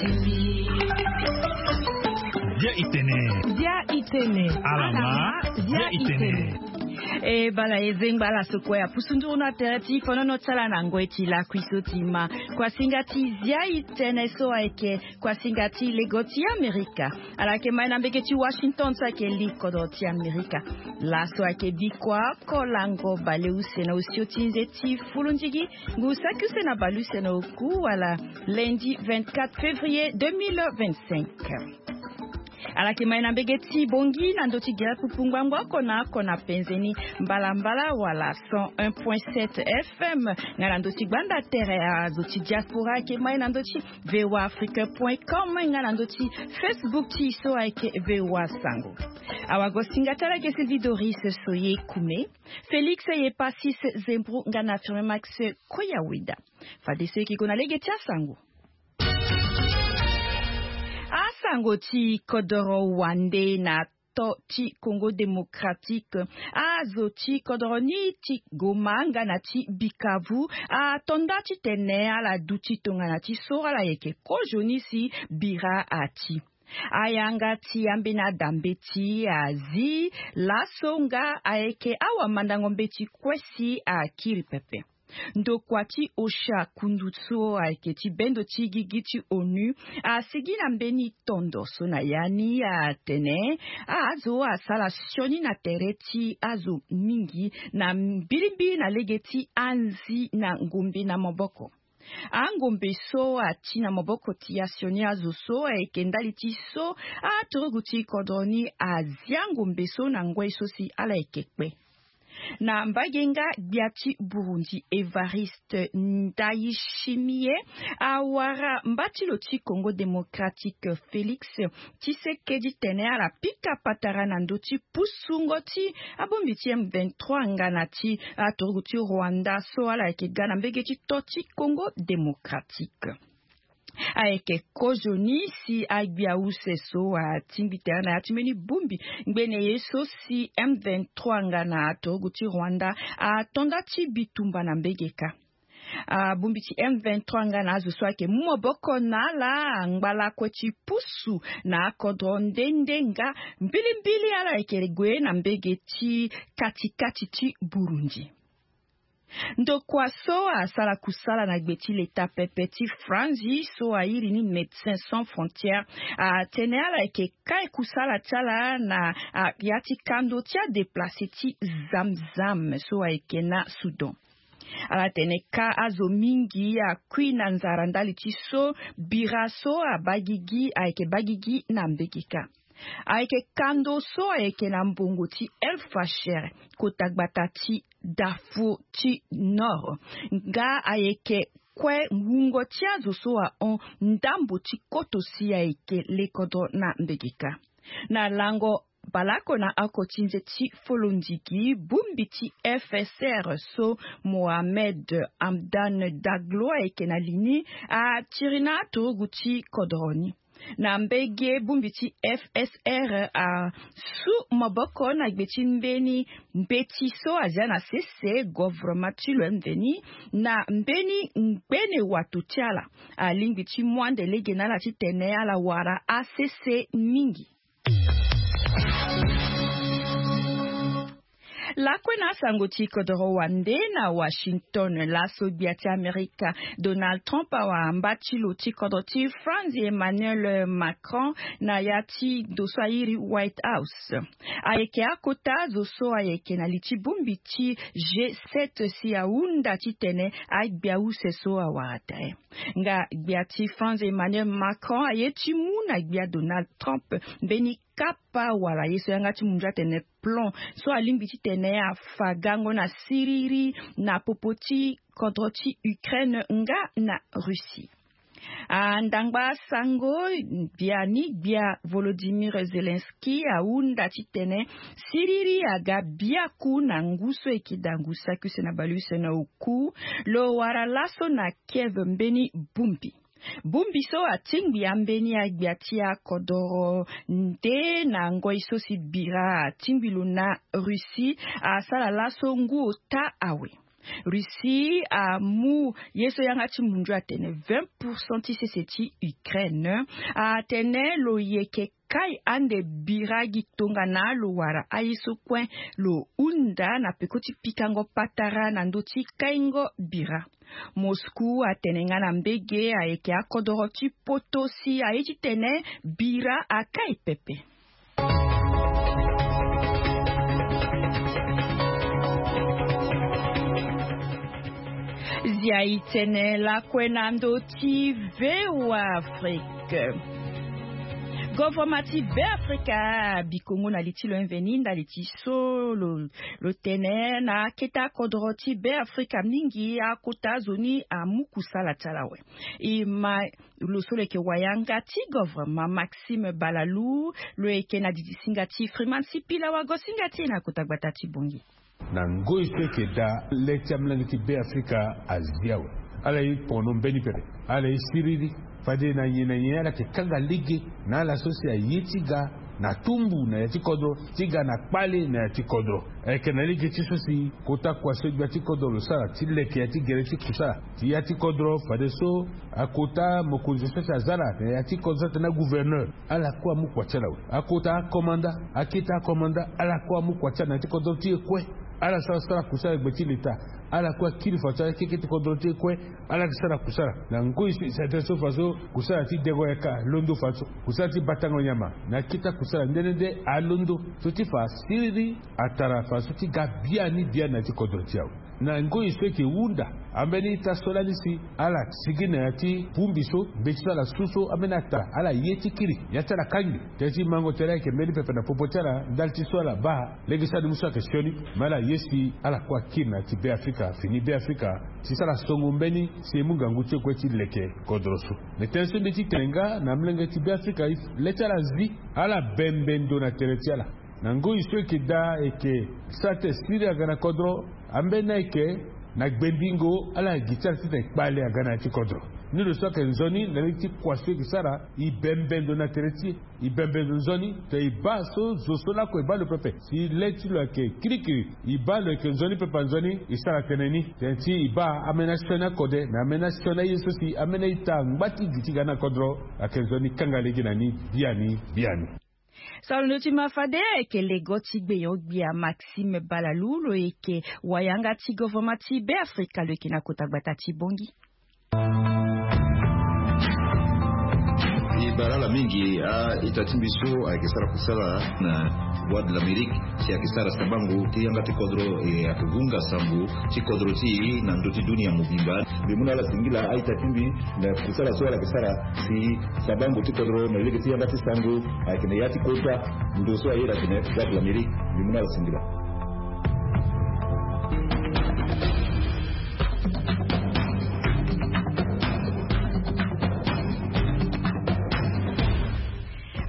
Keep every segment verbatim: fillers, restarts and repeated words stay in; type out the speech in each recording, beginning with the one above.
Dia itene. Dia itene. Alama. Dia itene. E bala e zengba ala so kue apusu nduru na tere ti fonono ti ala na ngoi ti lakui so ti ma. Kuasinga ti dia itene so ayeke kuasinga ti lego ti amerika. Ala yeke mai na mbege ti washington so ayeke li kodro ti amerika. Laso ayeke bikua oko lango baleuse na osio ti nze ti fulundigi ngu saki use na baleuse na oku wala. Lundi vingt-quatre février deux mille vingt-cinq. Ala yeke mai na mbege ti bongi na ndö ti gere pupu ngbangbo oko na oko na penze ni mbalambala wala cent un point sept fm. Nga na ndö ti gbanda tere azo ti diaspora ayeke mai na ndö ti voa afrique point com nga na ndö ti facebook ti e so ayeke voa sango. Awagosinga ti ala ayeke sylvie doris soye kume, félix ye pasis zembru nga na firme max koyaweda. Fade so e yeke gue na lege ti asango. Asango ti kodoro wande na to ti congo démocratique. Azo ti kodoro ni ti goma nga na ti bikavu atonda titene ala duti tongana ti so ala yeke kozo ni si bira ati. Ayanga ti ambeni adambe ti azi laso nga ayeke awamandango mbeti kue si akiri pepe. Ndokua ti osha kundu so ayeke ti bendo ti gigi ti onu asigi na mbeni tondo so na ya ni atene azo asara sioni na tere ti azo mingi na mbilimbili na lege ti anzi na ngombe na maboko. Angombe so ati na maboko ti asioni azo so ayeke ndali ti so aturugu ti kodro ni azia ngombe so na ngoi so si ala yeke kpe. Na mbage nga gbia ti burundi evariste ndayishimiye awara mba ti lo ti congo démocratique félix tshisekedi tene ala pika patara na ndö ti pusungo ti abongbi ti m vingt-trois nga na ti aturugu ti rwanda so ala yeke ga na mbege ti to ti congo démocratique. Ayeke kozo ni si agbia use so atingbi tere na ya ti mbeni bongbi ngbene ye so si m vingt-trois nga na aturugu ti rwanda atonda ti bitumba na mbege kâ. Abongbi ti m vingt-trois nga na azo so ayeke mu maboko na ala angba lakue ti pusu na akodro nde nde nga mbilimbili ala yeke gue na mbege ti katikati ti burundi. Ndokua so asara kusala na gbe ti leta pepe ti franzi so airi ni médecin sans frontière atene ala yeke kai kusala ti ala na ya ti kando ti adeplace ti zamzam so ayeke na soudan. Ala tene ka azo mingi akui na nzara ndali ti so bira so abagigi ayeke bagigi na mbege kâ. Ayeke kando so ayeke na mbongo ti el fasher kota gbata ti darfour ti nord nga ayeke kue wungo ti azo so ahon ndambo ti koto si ayeke lekodro na mbege kâ. Na lango balako na oko ti nze ti folondigi bongbi ti fsr so mohamed hamdan daglo ayeke na li ni atiri na aturugu ti kodro ni. Na mbege bongbi ti fsr asu maboko na gbe ti mbeni mbeti so azia na sese govrema ti lo mveni na mbeni ngbene wato ti ala alingbi ti mu ande lege na ala titene ala wara asese mingi. Lakue na asango ti kodoro wande na washington laso gbia ti amerika donald trump awara mba ti lo ti kodro ti france emmanuel macron na ya ti ndo so airi white house. Ayeke akota zo so ayeke na li ti bongbi ti g7 si ahunda titene agbia use so awara tere. Nga gbia ti france emmanuel macron aye ti mu na gbia donald trump mbeni kapa wala ye so yanga ti mundu atene plan so alingbi titene afa gango na siriri na popo ti kodro ti ukraine nga na russie. Andangba sango biani gbia volodimir zelenski ahunda titene siriri aga biaku na ngu so eke dangu saki use na baleuse na oku lo wara laso na kiev mbeni bongbi. Bongbi so atingbi ambeni agbia ti akodoro nde na ngoi so si bira atingbi lo na russie asara laso ngu ota awe. Russie amu ye so yanga ti mundu atene vingt pourcent ti sese ti Ukraine. Atene lo yeke kai ande bira gi tongana lo wara aye so kue lo hunda na peko ti pikango patara na ndö ti kaingo bira. Moscou atene nga na mbege ayeke akodoro ti poto si aye titene bira akai pepe. Zia itene lakue na ndö ti V O A Afrique. Govoroma ti Beafrika bikongo na li ti lo inveni ndali ti so lo lo tene na akete akodoro ti Beafrika mingi akota zo ni amu kusala ti ala awe. E ma lo so lo yeke wayanga ti govoroma Maxime Balalou lo yeke na didi singa ti Freeman Sipila wago singa ti e na kota gbata ti Bongi. Na ngoi so eke daa le ti amolenge ti Beafrika azi awe. Ala ye pono mbeni pepe. Ala ye siriri. Fade na nyen na nyen ala yeke kanga lege na ala so si aye ti ga na tumbu na ya ti kodro ti ga na kpale na ya ti kodro. Ayeke na lege ti so si kota kua so gbia ti kodro lo sara ti leke ya ti gere ti kusala ti ya ti kodro fadeso akota mokonzi so si aza na ya ti kodro so atene agouverneur. Ala kue amu kua ti ala awe. Akota akomanda akete akomanda ala kue amu kua ti ala na ya ti kodro ti e kue. Ala sara sara kusala gbe ti leta. Ala kue akiri fa so akeke ti kodro ti e kue. Ala yeke sara kusala na ngoi si sete so fa so kusala ti dengo yaka alondo fa so kusala ti batango nyama na akete akusala nde nde nde alondo so ti fa siriri atara fa so ti ga biani biani na ya ti kodro ti awe. Na ngoi so eke hunda ambeni ita so lani si ala sigi na ya ti bongbi so mbeti so ala su so ambeni atara ala ye ti kiri ya ti ala kangbi. Tënë ti mango tere ayeke mbeni pepe na popo ti ala ndali ti so ala baa lege so animu so ayeke sioni. Me ala ye si ala kue akiri na ya ti Beafrika fini Beafrika ti sara songo mbeni si e mu ngangu ti e kue ti leke kodro so. Me tënë so mbi ti tene nga na molenge ti Beafrika le ti ala zi ala bembe ndo na tere ti ala. Na ngoi so eke daa eke sara tene siriri aga na kodro. Ambeni ayeke na gbendingo ala gi ti ala titene kpale aga na ya ti kodro. Ni lo so ayeke nzoni na lege ti kua so eke sara e bembe ndo na tere ti e. E bembe ndo nzoni te e baa so zo so lako e baa lo pepe si le ti lo ayeke kirikiri. E baa lo yeke nzoni pepe anzoni e sara tënë ni tënë ti e baa ambeni asioni akode na ambeni asioni aye so si ambeni aita angba ti gi ti ga na kodro. Ayeke nzoni kanga lege na ni biani biani. Salondo ti ma fade ayeke lego ti gbenyo-gbia Maxime Balalou lo yeke wayanga ti govoroma ti Beafrika lo yeke na kota gbata ti Bongi. E bara ala mingi a-ita ti mbi so ayeke sara kusala na Voix de l'Amérique si ayeke sara sabango ti yanga ti kodro e ayeke hunga sango ti kodro ti e na ndö ti dunia mobimba. Mbi mu na ala singila a-ita ti mbi na kusala so ala yeke sara si sabango ti kodro na lege ti yanga ti sango ayeke na ya ti kota ndo so ayeda tene Voix de l'Amérique. Mbi mu na ala singila.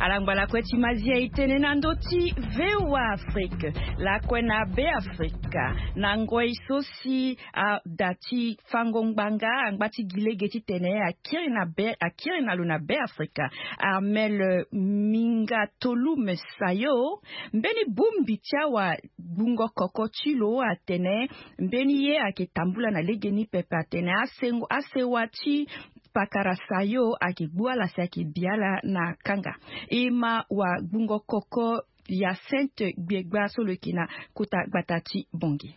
Ala ngba lakue ti mazia e tene na ndö ti V O A Afrique lakue na Beafrika na ngoi so si ada ti fango ngbanga angba ti gi lege titene akiri na be akiri na lo na Beafrika. Armel Mingatolum Sayo mbeni bongbi ti awagbungo koko ti lo atene mbeni ye ayeke tambula na legeni pepe atene asengo asewa ti pakara Sayo ayeke gbu ala si ayeke bi ala na kanga. E ma wagbungo koko Hyacinthe Gbiegba so lo yeke na kota gbata ti Bongi.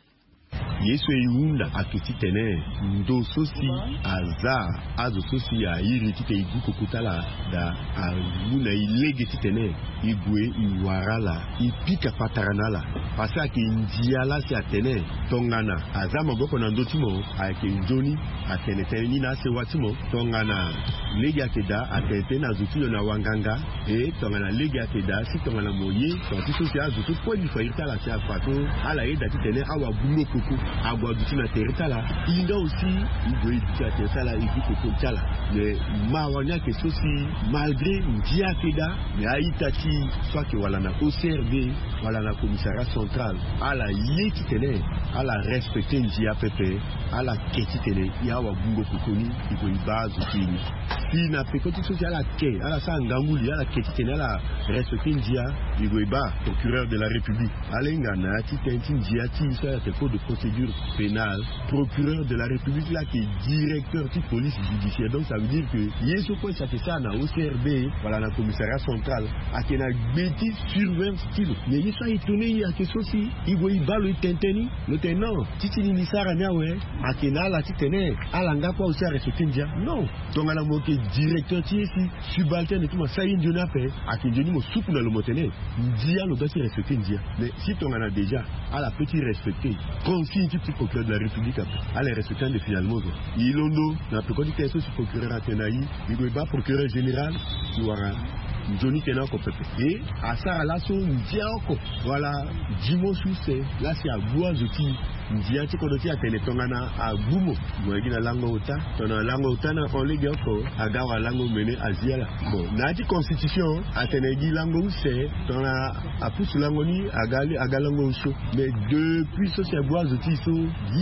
Ye so e hunda ayeke titene ndo so si aza azo so si airi titene e gu koko ti ala daa amu na e lege titene e gue e wara ala e pika patara na ala. Parce que ayeke ndia laa si atene tongana aza maboko na ndö ti mo ayeke nzoni atene tënë ni na asewa ti mo. Tongana lege ayeke daa atene tënë na zo ti lo na wanganga. E tongana lege ayeke daa si tongana mo ye tongana ti so si azo so kue li fa iri ti ala si afa so ala yeda titene awagbungo koko ague aduti na tere ti ala. Hinda aussi e gue e duti na tere ti ala e gu koko ti ala. Mais mawa ni ayeke so si malgré ndia ayeke daa mais a-ita ti e so ayeke wala na O C R D wala na commissariat central Central ala ye titene ala respecte ndia pepe. Ala ke titene ya wa bungo koko ni, i gue i baa azo ti e ni. Si na peko ti so si ala ke, ala sara ngangu li, ala ke titene ala respecte ndia, i gue i baa procureur de la République. Ala hinga na ya ti ten ti ndia ti so ala ke code de procédure pénale. Procureur de la République la ke directeur ti police judiciaire, donc ça veut dire que ye so kue si ake sara na O C R B wala na commissariat central, ake na gbe ti surveillance ti lo. Mais ye so a étonné ye ake so si i gue i baa lo i tene tënë ni, lo tene non, ti ti ni ni sara ni awe. Ake na ala titene ala nga kue aussi a respecte ndia. Non, tongana mo ke directeur ti ye si subalterne ti mo asara ye nzoni ape, ake nzoni mo suku na lo mo tene ndia lo ga ti respecte ndia. Mais si tongana déjà ala pe ti respecte consigne ti ti procureur de la République ape, ala respecte ande finalement quoi. I londo na peko ti tene so si procureur atene na i, i gue i baa procureur général, i wara nzoni tënë oko pepe. E asara laso ndia oko wala dimanche use la si agbu azo ti ndia ti kodro ti atene tongana agbu mo, mo yeke gi na lango ota. Tongana lango ota na hon lege oko aga wala lango mene azi ala. Bon, na ya ti constitution atene gi lango use, tongana apusu lango ni aga, aga lango osio. Mais depuis so si agbu azo ti e so,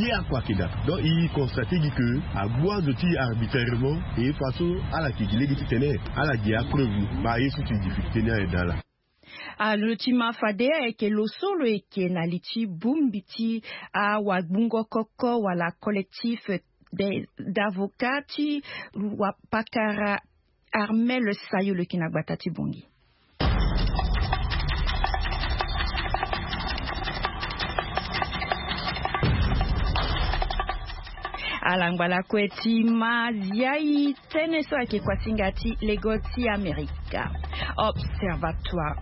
ye oko ake daa. Donc i constate gi ke agbu azo ti e arbitrairement. E fa so ala ke gi lege titene ala gi apreuve ni, baa ye so ti difficulté ni aye daa laa. Alo ti ma fade ayeke lo so lo yeke na li ti bongbi ti awagbungo koko wala collectif de, d'avocat ti wa pakara Armel Sayo lo yeke na gbata ti Bangui. Ala ngbala kue ti ma ziai tënë so ayeke kuasinga ti lego ti Amerika. Observatoire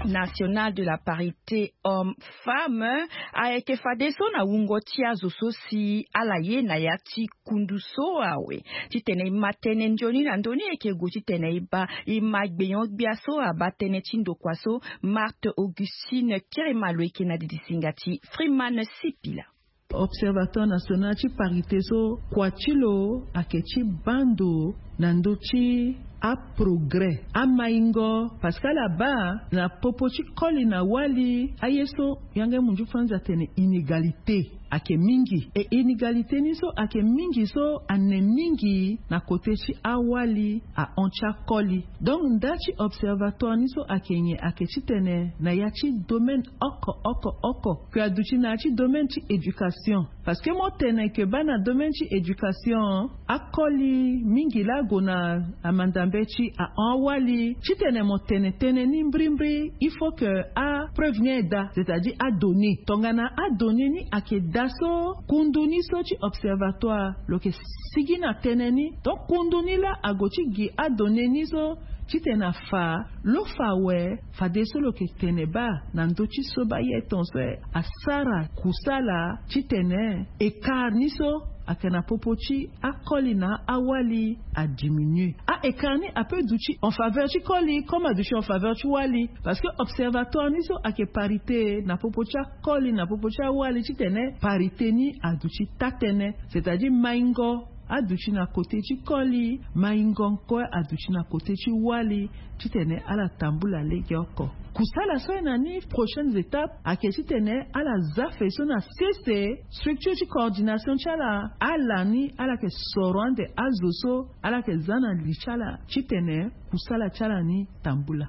national de la parité homme femme ayeke fadeso na wungo ti azo so si ala ye na ya ti kundu so awe, titene e ma tënë nzoni na ndö ni e yeke gue titene e baa e ma gbenyo-gbia so abaa tënë ti ndokua so. Marthe Augustine Kirima lo yeke na didisinga ti Freeman Sipila. Observatoire national ti parité so kua ti lo ayeke ti baa ndo na ndö ti aprogrès, amaingo, parce que ala baa na popo ti koli na wali aye so yanga munzu franzi atene inégalité ayeke mingi. E inégalité ni so ayeke mingi so ane mingi na kote ti awali ahon ti akoli. Donc nda ti observatoire ni so ayeke nyen? Ayeke titene na ya ti domaine oko oko oko, ke aduti na ya ti domaine ti éducation. Parce que mo tene ke baa na domaine ti éducation, akoli mingi laa ague na amandambe ti ahon awali. Titene mo tene tënë ni mbrimbri, il faut que apreuve ni aye daa, c'est-à-dire adonnée. Tongana adonnée ni ayeke daa so, kundu ni so ti observatoire lo yeke sigi na tënë ni. Donc kundu ni laa ague ti gi adonnée ni so titene afa lo fa awe. Fadeso lo yeke tene baa na ndö ti so baa ye ton so asara kusala titene écart ni so ayeke na popo ti akoli na awali adiminue. A-écart ni ape duti en faveur ti koli comme aduti en faveur ti wali. Parce que observatoire ni so ayeke parité na popo ti akoli na popo ti awali titene parité ni aduti taa-tënë, c'est-à-dire maingo aduti na kote ti koli, maingo kue aduti na kote ti wali, titene ala tambula lege oko. Kusala so aye na ni, prochaines étapes ayeke titene ala za fe so na sese structure ti coordination ti ala, ala ni ala yeke soro ande azo so ala yeke za na li ti ala titene kusala ti ala ni tambula.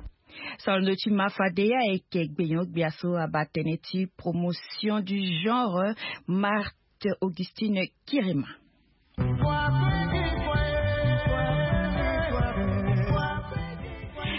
Soro ndö ti ma fade ayeke gbenyo-gbia so abaa tënë ti promotion du genre, Marthe Augustine Kirima.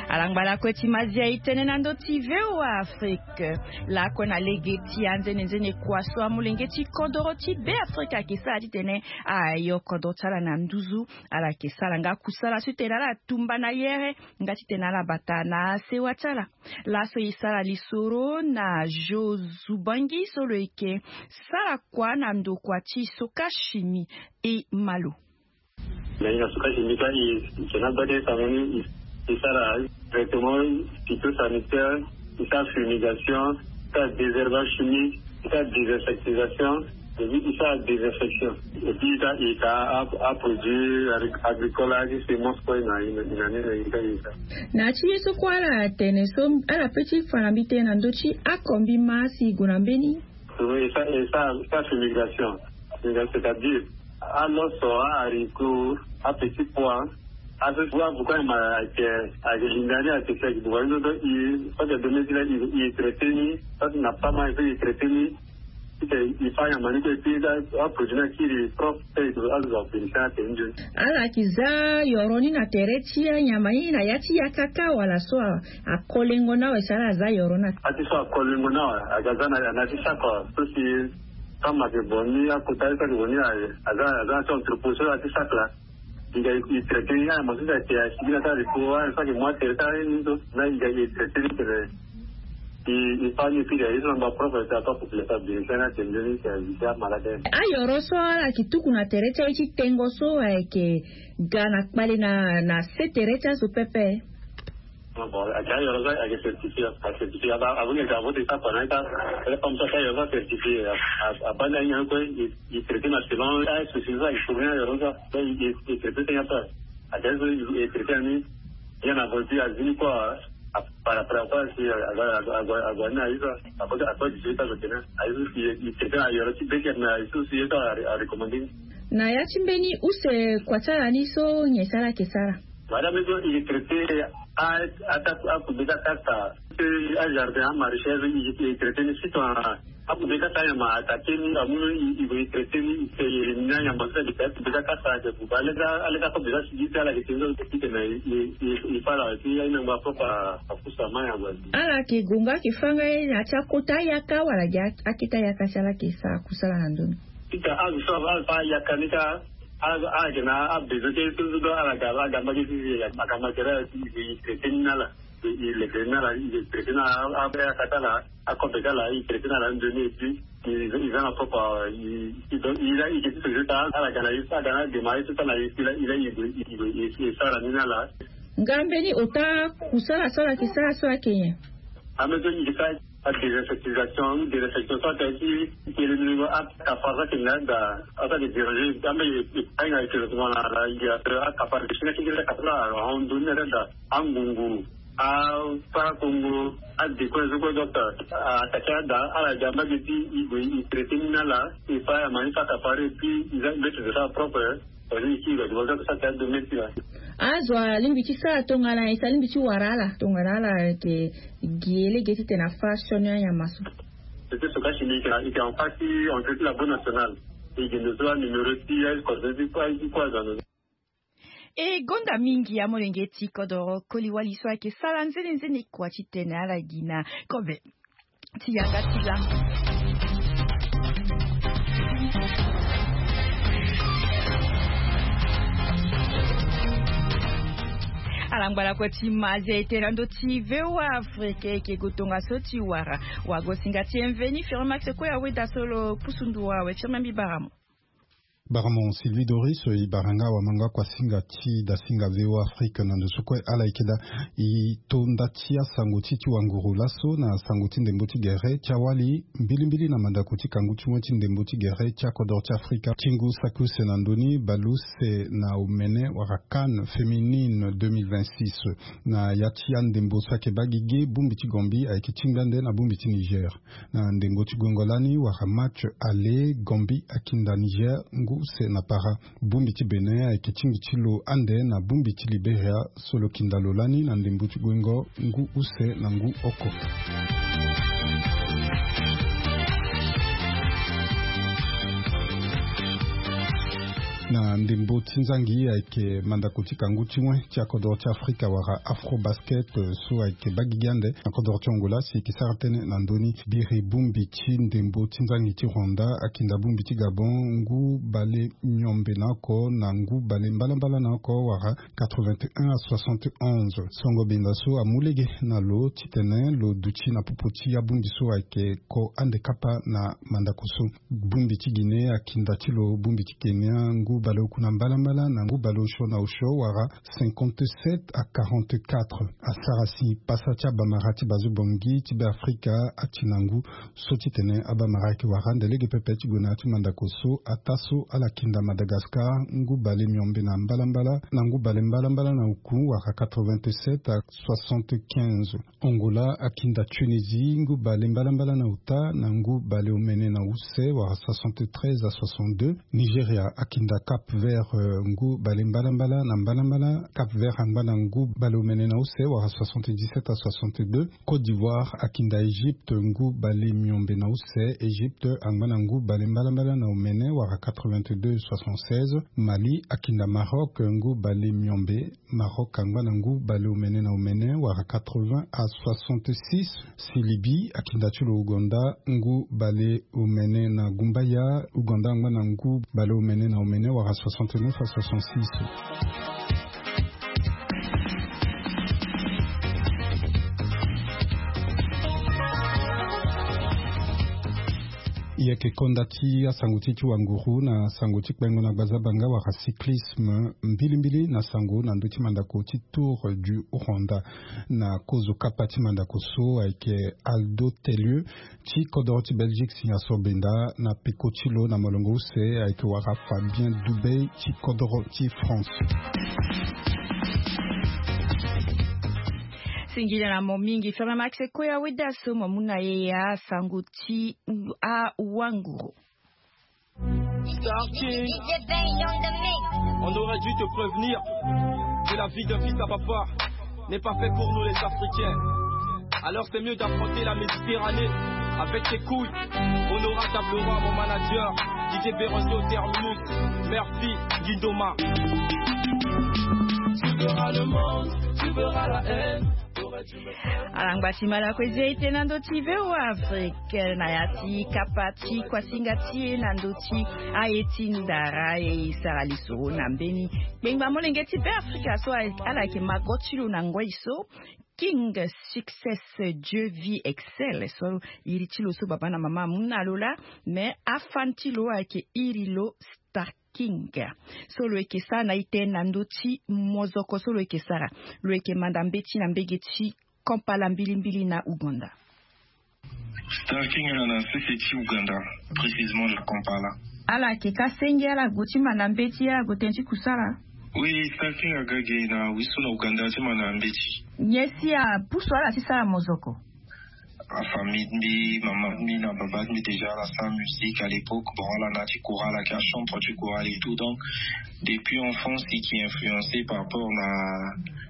Ala ngbala kue ti ma ziai tënë na ndö ti V O A Afrique. Lakue na lege ti anzenenzene kua so amolenge ti kodoro ti Beafrika ayeke sara titene ayo kodro ti ala na nduzu. Ala yeke sara nga kusala so titene ala tumba na yere nga titene ala bata na sewa ti ala. Laso e sara lisoro na Joe Zubangi so lo yeke sara kua na ndokua ti Soka Chimie. E ma lo. Na hinga Soka Chimie kâ, e, e yeke na gbata ti sango ni, e, e sara traitement phytosanitaire, e sara fumigation, e sara désherbage chimique, e sara désinsectisation. Et puis il fait la désinfection. Et puis il a produit agricole avec semence quoi na ina ni na ita ita. Na ti ye so kue ala tene so ala pe ti fa na mbi tënë na ndö ti akombi ma si e gue na mbeni. Et ça et ça ça c'est migration. C'est-à-dire aloso, aharicot, apetit pois. Azo ti wa buka ma ayeke ayeke linda ni ayeke si ayeke buka ni so. Donc i so ayeke donné ti la i traité ni. So ayeke na pama so i traité ni. I fa nyama ni kue ti aproduit ni akiri propre. Azo abénéficier atene nzoni. Ala yeke za yoro ni na tere ti anyama ni na ya ti yaka kâ wala so akolengo na awe si ala za yoro ni na. Ati so akolengo na awe aga za na ya na ti saka so si. Kama ayeke boni akota ye so ayeke boni aye aza aza na ti entrepôt so aza na ti saka la. Dinga i traité ni aya mo so si ayeke asigi na ti arepo aya so ayeke mo atere ti aye ni so na dinga i traité ni tene. I i fa ni epiri aye so na ngba propre ti ato apopulation abiri ti ana tene nzoni si azi ti amalade. Ayoro so ala yeke tuku na tere ti aye ti tengo so ayeke ga na kpale na na se tere ti azo pepe. Bon ayeke ayoro so ayeke certifié. Acertifié aba abo ni ayeke avo ti sapa na ita. Ele comme ça ti ayoro so acertifié. Abani ahinga ni kue. I traité na selon aye souci so ayeke tourné ayoro so. I traité ti nya so aye. Ayeke aye so i traité na ni. Bien na vo ti azi ni kue. Par rapport à quoi si ague ague ague ni na aye so. Akote akote dix-huit ans so tene aye so i traité na yoro ti beke na aye so si ye so arecommandé ni. Na ya ti mbeni use kua ti ala ni so nyen si ala yeke sara? Madame so i traité a a ta a kube ta kasa. Ti a jardin a maraîchage i traité ni sito. A kube kasa nyama attaqué ni amu no i i traité ni i éliminer anyama so ayeke a kube ta kasa ayeke buba aleta aleta kobe ta sigi ti ala ayeke tene so ti tene i i i fa ala ti aye na ngba propre. Apusu ama nyama. Ala yeke gonga ayeke fanga ye na ya ti akota ayaka wala gi akete ayaka si ala yeke sara kusala na ndö ni. Ita azo so afa ayaka ni ka. Ala ala yeke na abezo ti aye so so do ala ga ala ga mbage ti zi aga matériel ti zi i traité ni na ala. I leke ni na ala i traité na ala abe aka ti ala. Akobe ti ala i traité na ala nzoni et puis i za na propre i i donc i la i ke ti société ta ala ga na ye so aga na adema ye so ta na ye so i la i la i gue i gue i sara ni na ala. Nga mbeni ota kusala so ala yeke sara so ayeke nyen? Ame so i ke sara. Adésinsectisation ou désinfection so atene ti ti éliminer akapar so ayeke na yeda. Aso ayeke déranger ame. Ahinga ayeke na tuma na ala i akapar ayeke si na kekere akapar so ahon ndoni na yeda. Angungu asarakongo adécoin so kue docteur attaqué ada ala ga mbage ti i gue i traité ni na ala. I fa ayama ni so akapar et puis i za mbeti de sara propre. Azo alingbi ti sara tongana esa alingbi ti wara ala tongana ala yeke gi ye lege titene afa sioni anyama so. C'était ce cas chimique là, il était en face, on était la bonne nationale. Il était de soi numéro six, il coordonne pas, il croit dans le. E gonda mingi amolenge ti kodoro koli wali so ayeke sara nzenenzene kua titene ala gi na kobe. Ti yanga ti lango. Ala ngbalako ti maze ete na ndö ti VOA Afrique eke go tongaso ti wara wago singa ti mveni firmax kue aweda so lo pusu ndu awe firme mbi bara mo. Bara mo Sylvie Doris e bara nga wamanga kua singa ti dasinga VOA Afrique na ndo so kue ala yeke daa. E to nda ti asango ti ti wanguru laso na sango ti ndembo ti gere ti awali mbilimbili na mandako ti kangu ti moi ti ndembo ti gere ti akodoro ti Afrika ti ngu saki use na ndö ni baleuse na omene wala CAN féminine deux mille vingt-six. Na ya ti andembo so ayeke baa gigi bongbi ti Gambie ayeke tingbi ande na bongbi ti Niger. Na ndembo ti guengo lani wala match aller Gambie akinda Niger ngu use na para. Bongbi ti Bénin ayeke tingbi ti lo ande na bongbi ti Liberia so lo kinda lo lani na ndembo ti guengo ngu use na ngu oko. Na ndembo ti nzangi ayeke mandako ti kangu ti moi ti akodoro ti Afrika wala Afrobasket so ayeke baa gigi ande na kodoro ti Angola si e yeke sara tënë na ndö ni. Biri bongbi ti ndembo ti nzangi ti Rwanda akinda bongbi ti Gabon ngu bale miombe na oko na ngu bale mbalambala na oko wala quatre-vingt-un à soixante et onze. Songo benda so amu lege na lo titene lo duti na popo ti abongbi so ayeke ko ande kapa na mandako so. Bongbi ti Guinée akinda ti lo bongbi ti Kenya ngu baleoku na mbalambala na ngu baleosio na osio wala cinquante-sept à quarante-quatre. Asara si pasa ti abamara ti bazo bongi ti Beafrika ati na ngu so titene abamara ayeke wara nde lege pepe ti gue na ya ti mandako so ataa so ala kinda Madagascar ngu bale miombe na mbalambala na ngu bale mbalambala na oku wala quatre-vingt-sept à soixante-quinze. Angola akinda Tunisie ngu bale mbalambala na ota na ngu bale omene na use wala soixante-treize à soixante-deux. Nigeria akinda Cap Vert, euh, ngu bale mbalambala na mbalambala. Cap Vert angba na ngu bale omene na use wala soixante-dix-sept à soixante-deux. Côte d'Ivoire akinda Égypte ngu bale miombe na use. Égypte angba na ngu bale mbalambala na omene wala quatre-vingt-deux soixante-seize. Mali akinda Maroc ngu bale miombe. Maroc angba na ngu bale omene na omene wala quatre-vingts à soixante-six. Si Libye akinda ti lo Ouganda ngu bale omene na gumbaya. Ouganda angba na ngu bale omene na omene wala soixante-neuf à soixante-six. Yeke konda ti asango ti ti wanguru na sango ti kpengo na gbazabanga wala cyclisme mbilimbili na sango na ndö ti mandako ti Tour du Rwanda. Na kozo kapa ti mandako so ayeke Aldo Tellieu ti kodoro ti Belgique si aso benda na peko ti lo na molongo use ayeke wara Fabien Dubey ti kodoro ti France. Singila na mo mingi Ferre Max Koya Wedaso mo mu na ye ya sango ti awanguru. On aurait dû te prévenir que la vie d'un fils à papa n'est pas faite pour nous les Africains. Alors c'est mieux d'affronter la Méditerranée avec tes couilles. Honorable Tablora, mon manager, D J Béranger au terminus. Merci, Guindoma. Tu verras le monde, tu verras la haine. Alangba ti mala kue zi ete na ndö ti V O A Afrique na ya ti kapa ti kuasinga ti e na ndö ti aye ti ndara e sara lisoro na mbeni kpengba molenge ti Beafrika so ala yeke mago ti lo na ngoi so King Success Dieu Vie Excel so iri ti lo so baba na mama amu na lo laa. Me afan ti lo ayeke iri lo Star King so lo yeke sara na ite na ndö ti mozoko so lo yeke sara. Lo yeke manda mbeti na mbege ti Kampala mbilimbili na Ouganda. Star King ala na sese ti Ouganda, précisément na Kampala. Ala yeke ka senge ala gue ti manda mbeti ala gue tënë ti kusala. Oui, Star King aga ge na wiso na Ouganda ti manda mbeti. Nyen si apusu ala ti sara mozoko? Afamille ti mbi, mama ti mbi na baba ti mbi déjà ala sara musique à l'époque. Bon, ala na ti chorale, ayeke achantre ti chorale et tout. Donc depuis enfance e yeke influencé par rapport na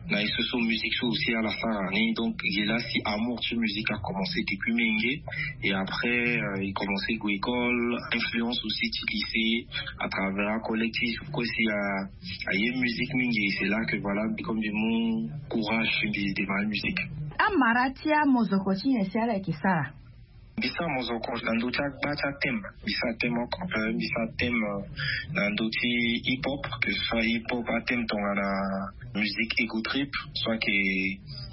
na ye so so musique so aussi ala sara ni. Donc ge laa si amour ti musique a commencé depuis mingi. Et après e commencé gue école, influence aussi ti lycée à travers acollectif kue si a aye musique mingi. C'est là que voilà mbi comme mbi mu courage ti mbi démarrer musique. Amara ti amozoko ti nyen si ala yeke sara? Mbi sara mozoko na ndö ti agba ti athème. Mbi sara thème oko mpe mbi sara thème na ndö ti hip hop, que ce soit hip hop athème tongana musique ego trip, soit que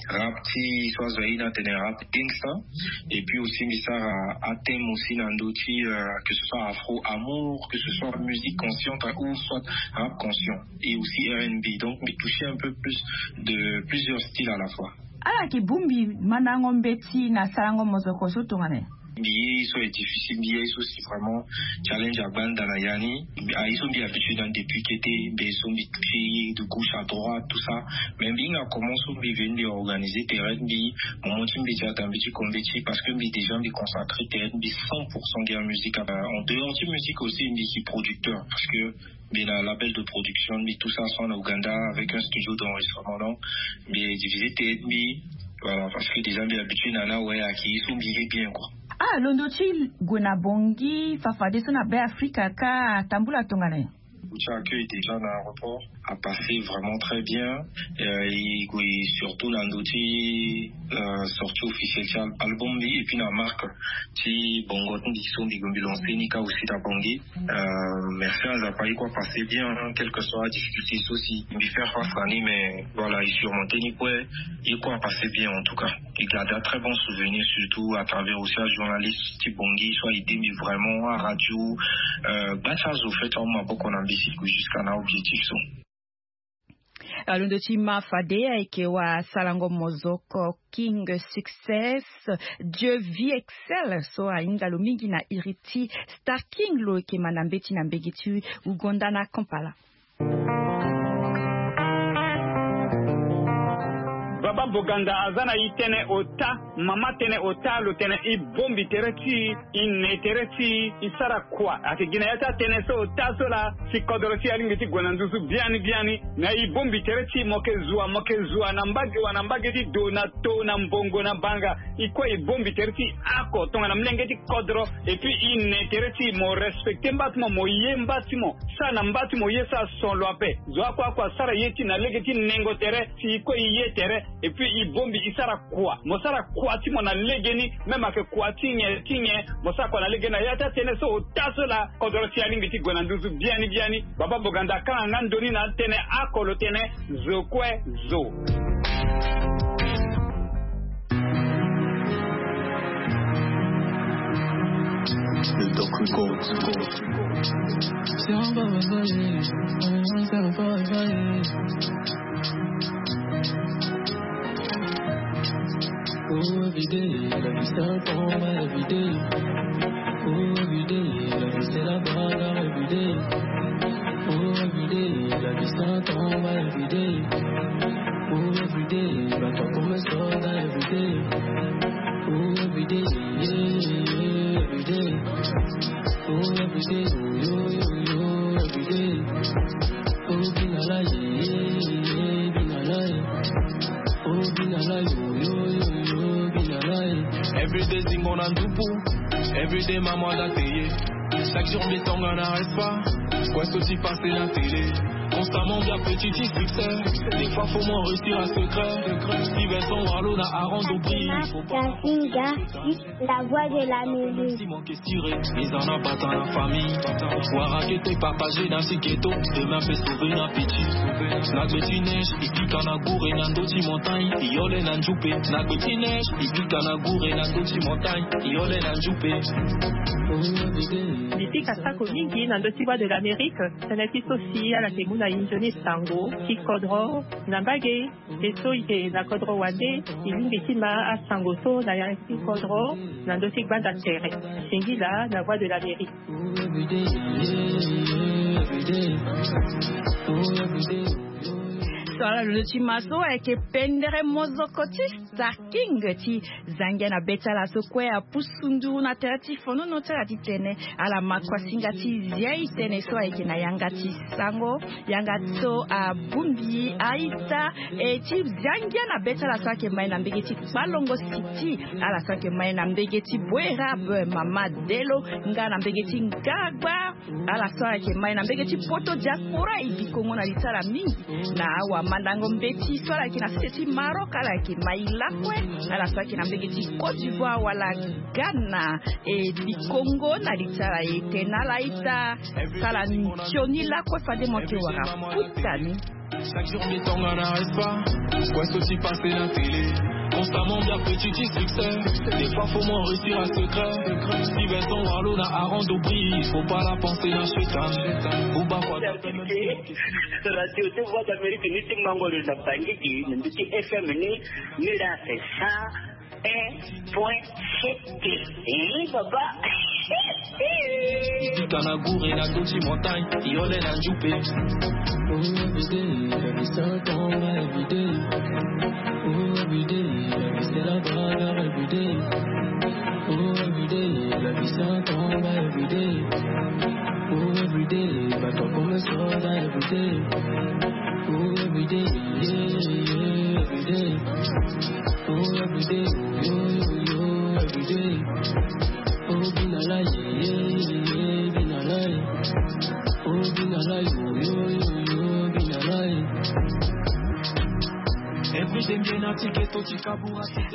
rap ti so azo aye ni atene rap gangster. Et puis aussi mbi sara athème aussi na ndö ti que ce soit afro amour, que ce soit musique consciente ou soit rap conscient, et aussi R and B. Donc mbi toucher un peu plus de plusieurs styles à la fois. Ala yeke bongbi mandango mbeti na sarango mozoko so tongana nyen? Mbi ye ye so est difficile, mbi ye ye so si vraiment challenge agbanda na ya ni. Aye so mbi habitué na depuis kete, mbi ye so mbi touché ye de gauche à droite tout ça. Mais mbi hinga comment so mbi veni mbi organisé terrain ti mbi, moment ti mbeti ata mbi ti ko mbeti parce que mbi déjà mbi consacré terrain ti mbi cent pour cent ga musique. En dehors ti musique aussi mbi si producteur parce que mbi na label de production mbi tout ça so na Ouganda avec un studio d'enregistrement. Donc mbi divisé terrain ti mbi. Voilà, parce que déjà mbi habitué na na waya ki so mbi ye bien quoi. Ah, londo ti gue na bongi fafadeso na Be Afrika ka atambula tongana nyen? Ti accueil déjà na aéroport a passé vraiment très bien. Euh, e gue surtout na ndo ti euh, sortie officielle ti album mbi et puis na marque ti bongo ti mbi so mbi gue mbi lancé ni ka aussi na bongi. Euh, merci na Nzapa e kue a passé bien, hein, quel que soit difficulté so si mbi faire face na ni, mais voilà e surmonté ni kue, e kue a passé bien en tout cas. Il garda très bon souvenir, surtout à travers aussi un journaliste ti bongi so aide mi vraiment à radio. Gbasa zo fait en maboko na mbisi jusqu'à na objectif so. Alondo ti ma fade ayeke wa salango mozoko King Success, Dieu vie excel so ahinga lo mingi na iri ti Star King lo yeke ma na mbeti na mbege ti ugonda na Kampala. Baba Boganda aza na e tënë ota, mama tënë ota lo tene e bombi tere ti e, e ne tere ti e, e sara kua. Ayeke gi na ya ti atënë so ota so laa si kodro ti e alingbi ti gue na nduzu biani biani. Na e bombi tere ti e mo yeke zua, mo yeke zua na mbage wa na mbage ti do na to na mbongo na banga. E kue e bombi tere ti e oko tongana molenge ti kodro. Et puis e ne tere ti e mo respecte mba ti mo, mo ye mba ti mo. Sara na mba ti mo ye so ason lo ape. Zo oko oko asara ye ti e na lege ti nengo tere si e kue e ye tere. Et puis e bombi e sara kua, mo sara kua ti mo na legeni. Même ayeke kua ti nyen ti nyen, mo sara kua na legeni na ya ti atënë so ota so laa kodro ti e alingbi ti gue na nduzu biani biani. Baba Boganda akanga nga ndoni na atënë oko lo tene zo kue zo. Oh, every day, la vie c'est un combat every day. Oh, every day, la vie c'est la bagarre every day. Oh, every day, la vie c'est un combat every day. Oh, every day, bats-toi comme un soldat every day. Oh, every day, yeah, yeah, every day. Oh, every day, oh, yo, yo, yo, every day. Oh, be na lie, yeah, yeah, be na lie. Oh, be na lie, oh, yo, yo, yo, be na lie. Every day zingo na ndupu. Every day maman da teye. Chaque jour mbi tonga na respa. Kue so ti passe na télé. Constamment bien petit ti succès. Des fois faut moins réussir à secret. Stevenson Walo na Aaron Dobri. Faut pas. La voix de la musique. Eza na bata na famille. Wara kete partager na si ghetto. Demain peut sauver na petit. Na gbe ti neige, e pika na gure na ndo ti montagne. E yole na njupe. Na gbe ti neige, e pika na gure na ndo ti montagne. E yole na njupe. Mbi pika sako mingi na ndö ti Voix de l'Amérique. Tënë ti so si ala yeke mu na e nzoni sango ti kodro na mbage. Ye so e yeke na kodro wande, e lingbi ti ma asango so na yanga ti kodro na ndö ti gbanda tere. Singila na Voix de l'Amérique. So ala lo ti ma so ayeke pendere mozoko ti Star King ti Zangia na be ti ala so kue apusu nduru na tere ti fonono ti ala titene ala ma kua singa ti zia e tënë so ayeke na yanga ti sango. Yanga so abongbi a-ita e ti zia ngia na be ti ala so ayeke ma e na mbege ti kpalongo siti, ala so ayeke ma e na mbege ti boerab, mama delo, nga na mbege ti ngagba. Ala so ala yeke ma e na mbege ti poto diaspora e bikongo na li ti ala mingi. Na awamandango mbeti so ala yeke na sese ti Maroc, ala yeke ma e lakue. Ala so ala yeke na mbege ti Côte d'Ivoire wala Ghana e bikongo na li ti ala. E tene na ala ita, sala nzoni lakue fade mo yeke wara futa ni. Chaque jour mbi tonga na respa. Kue so ti passe na télé. Constamment mbi apetiti succès. Des fois faut moins réussir à secret. Stevenson Walo na Aaron Dobri. Faut pas la penser na shetan. Buba kwa. Radio de Voix d'Amérique ni ti mango lo na Bangui, ni ti F M ni, ni la c'est ça. Un point sept. Eh, papa. Bika na gure na ndö ti montagne, yole na njupe. Oh, every day, la vie c'est un combat every day. Oh, every day, la vie c'est la bagarre every day. Oh, every day, la vie c'est un combat every day. Oh, every day, bats-toi comme un soldat every day. Oh, every day, yeah, yeah, every day. Oh, every day, yo, yo, yo, every day. Oh, be na lie, yeah, yeah, be na lie. Oh, be na lie, yo, yo, yo, yo, be na lie. Every day, be na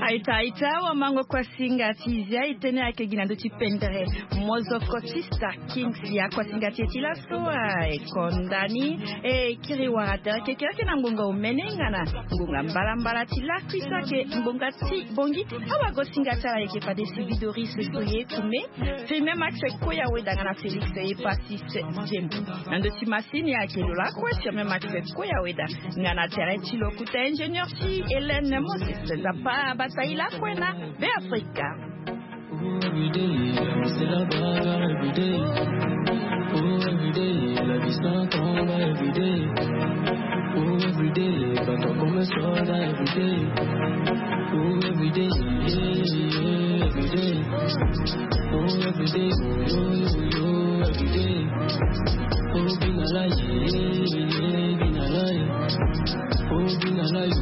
Aita aita wa mango kuasinga ti zia itene ake gi na ndo ti pendere. Mozoko ti star kings ya kuasinga ti e ti laso. Ekonda ni e kiri wara tere kekereke na ngonga omene nga na ngonga mbalambala ti lakui so ake ngonga ti bongi. Awagosinga ti ala yeke fade si vidoris so ye kume. Firme max koya weda nga na félix ye pasi. Jem na ndo ti masini ake lo lakue firme max koya weda. Nga na tere ti lokuta ingénieur ti hélène moses. Zapa bata ye lakue na be afrika. Oh, every day, I'm still a baller every day. Oh, every day, la vie sans combat every day. Oh, every day, bato comme soda every day. Oh, every day, yeah, yeah, every day. Oh, every day, oh, yo, yo, yo, every day. Oh, be na lie, yeah, yeah, be na lie. Oh, be na lie,